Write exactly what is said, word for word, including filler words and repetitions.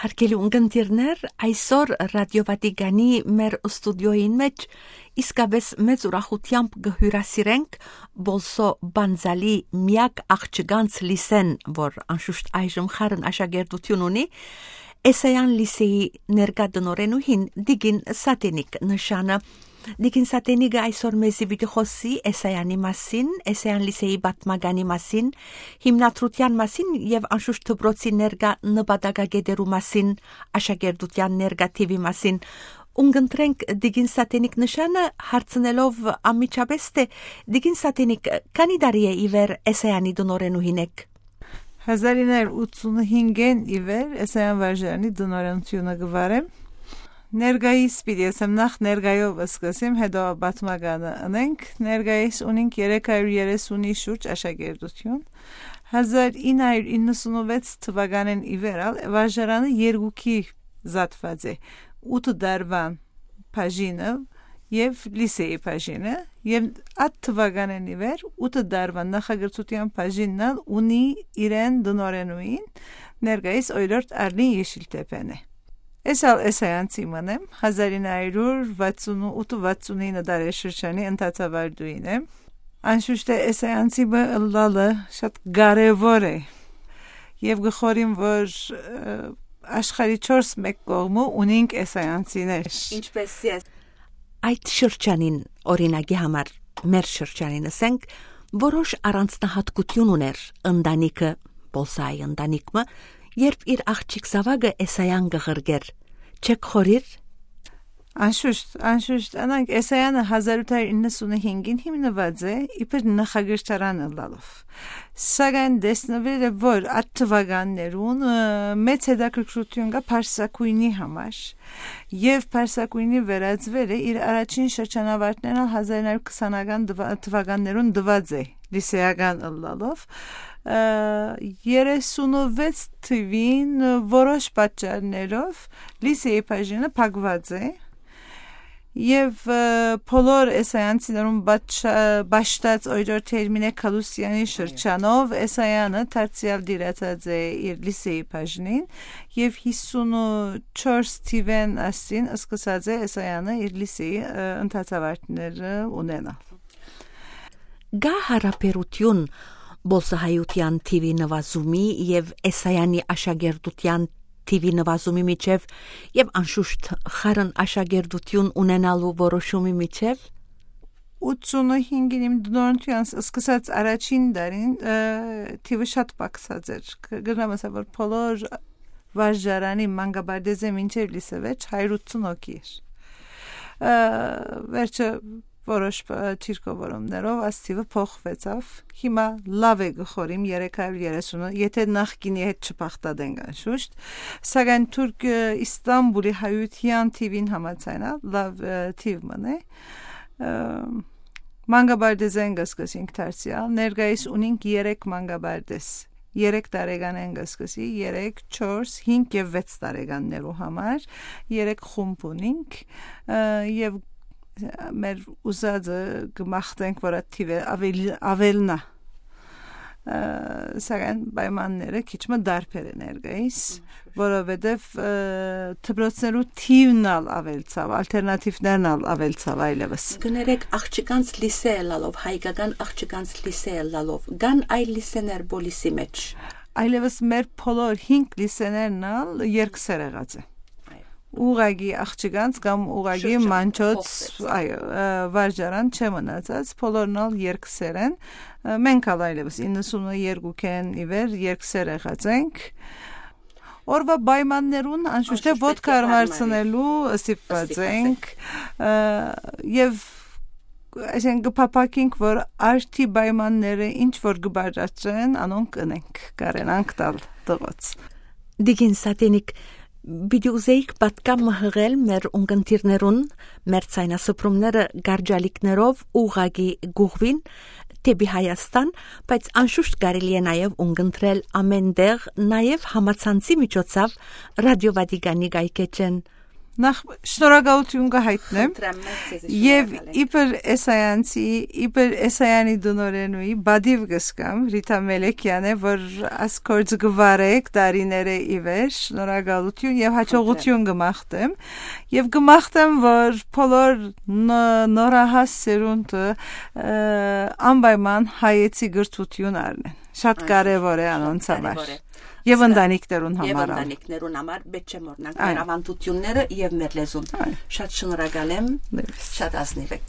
Հարգելի ունկնդիրներ, այսօր Ռադիո Վատիկանի մեր ստուդիոյին մեջ իսկապես մեծ ուրախությամբ կհյուրասիրենք Բոլսո Բանզալի միակ աղջկանց լիսեն, որ անշուշտ այժմ խառն աշակերտություն ունի, Էսայան լիսեի ներկա տնօրենուհին Դիգին Սատենիկ նշանը։ Դիգին Սատենիկը այսօր մեզի պիտի խոսի Էսայանի մասին, Էսայան լիսեի պատմագանի մասին, հիմնադրության մասին եւ անշուշտ դպրոցի ներկա նպատակագետերու մասին, աշակերտության ներկա թիվի մասին։ Ունգընտրենք Դիգին Սատենիկ նշանը հարցնելով անմիջապես թե Դիգին Սատենիկ քանի տարի է իվեր Էսայանի տնօրենուհին եք։ հազար իննսուն ութսունհինգեն իվեր Էսայան վարժարանի տնօրենությունը գվարեմ։ Ներգայիս պիտի ասեմ նախ ներգայով սկսեմ, հետո պատմականը անենք։ Ներգայիս ունենք երեք հարյուր երեսունի շուրջ աշակերտություն։ հազար ինը հարյուր իննսունվեց թվականին իվերալ վարժարանը երկուքի զատված է։ ութ դարվան բաժինը եւ լիսեի բաժինը եւ այդ թվականին իվեր ութ դարվան նախագծության բաժինն ունի իրեն տնօրենուին ներգայիս օրորդ Արլին Եշիլտեպեն է։ Էսալ Էսայանցի մնեմ հազար ինը հարյուր վաթսունութ վաթսունինը դարաշրջանի ընթացավարդուին եմ։ Անշուշտ է Էսայանցի բլալը շատ կարևոր է եւ գխորին որ աշխարհի չորս մեկ կողմը ունենք Էսայանցիներ։ Ինչպես է այդ շրջանին օրինակի համար մեր շրջանին ասենք որոշ առանձնահատկություն ուներ ընտանիքը Բոլսայի ընտանիքը երբ իր աղջիկ Սավագը Էսայան գղրգեր չեք խորիր Անշուշտ անշուշտ անանք Էսայանը հազար ութ հարյուր իննսունհինգին հիմնված է իբր նախագծարան լալով սակայն դեսնվել է որ այդ թվականներուն մեծ հետաքրքրություն կա Փարսակույնի համար եւ Փարսակույնի վերածվել է իր առաջին շրջանավարտներն հազար ինը հարյուր քսանական թվականներուն դված է լիսեական լալով երեսունվեց թվին որոշ պատճառներով լիսեի բաժինը փակված է Եվ բոլոր Էսայանցիներուն բաշտած օրոր Տերմինե Կալուսյանի շրջանով Էսայանը դարձյալ դիրացած է իր լիսեի բաժնին եւ հիսունչորս թիվեն ասին սկսած է Էսայանը իր լիսեի ընթացավարտները ունենալ։ Գա հարաբերություն Բոլսահայության թիվի նվազումի եւ Էսայանի աշակերտության թիվի նվազումի միջև եւ անշուշտ խառն աշակերտություն ունենալու որոշումի միջև ութսունհինգին իմ դնորնության սկսած առաջին դարին թիվը շատ պակսած էր գնամ ասա որ բոլոր վարժարանի մանկաբարձը մինչև լիսեվեջ հարյուր ութսուն հոգի էր վերջը որոշ ճիրկովորումներով աստիվը փոխվեցավ հիմա լավ է գխորիմ երեք հարյուր երեսունը եթե նախկինի հետ չփախտadենք անշուշտ սակայն թուրք Իստանբուլի հայության թիվին համաձայնալ լավ թիվ մնե մանկաբարձեն գսկսինք դարձյալ ներկայիս ունենք երեք մանկաբարձ երեք տարեկան են գսկսի երեք չորս հինգ եւ վեց տարեկաններու համար երեք խումբ ունենք եւ մեր ուզածը գմախտենք որ այդ թիվը ավելի ավելնա սակայն պայմանները քիչ մը դարբեր են ներկայիս որովհետեւ դպրոցներու թիվն ավելցավ ալտերնատիվներն ավելցավ այլևս գներեք աղջկանց լիսե լալով հայկական աղջկանց լիսե լալով գան այլ լիսեներ բոլիսի մեջ այլևս մեր բոլոր հինգ լիսեներն երկսեր եղած է Ուղագի աղջկանց կամ ուղագի մանչոց այո վարժարան չմնացած բոլորն երկսեր են մենք այլևս իննսունյոթ-ն իվեր երկսեր եղած ենք Օրվա պայմաններուն անշուշտ է ոդկա արմարցնելու ստիպված ենք եւ այսինքն գփապակենք որ արդի պայմանները ինչ որ գբարացեն անոնք կնենք կարենանք տալ տղոց Դիգին Սատենիկ Բիդի ուզեիք պատկամ մհղել մեր ունկնդիրներուն, մեր ցայնասպրումները գարջալիքներով ուղագի գուղվին տեպի Հայաստան, բայց անշուշտ կարելի է նաև ունկնդրել ամեն դեղ նաև համացանցի միջոցով Ռադիո Վատիկանի գայքեջեն։ Նախ շնորհակալություն կհայտնեմ եւ իբր Էսայանցի իբր Էսայանի դնորենուի բադիվ գսկամ Ռիտա Մելեքյանը որ ասկորձ գվարեք դարիները իվեր շնորհակալություն եւ հաջողություն գմախտեմ եւ գմախտեմ որ բոլոր նորահաս սերունդը անպայման հայեցի գրթություն առնեն շատ կարեւոր է անոնց համար Եվ ընտանիքներուն համար։ Եվ ընտանիքներուն համար պետք է մոռանանք մեր ավանդությունները եւ մեր լեզուն։ Շատ շնորհակալ եմ։ Շատ ազնիվ եք։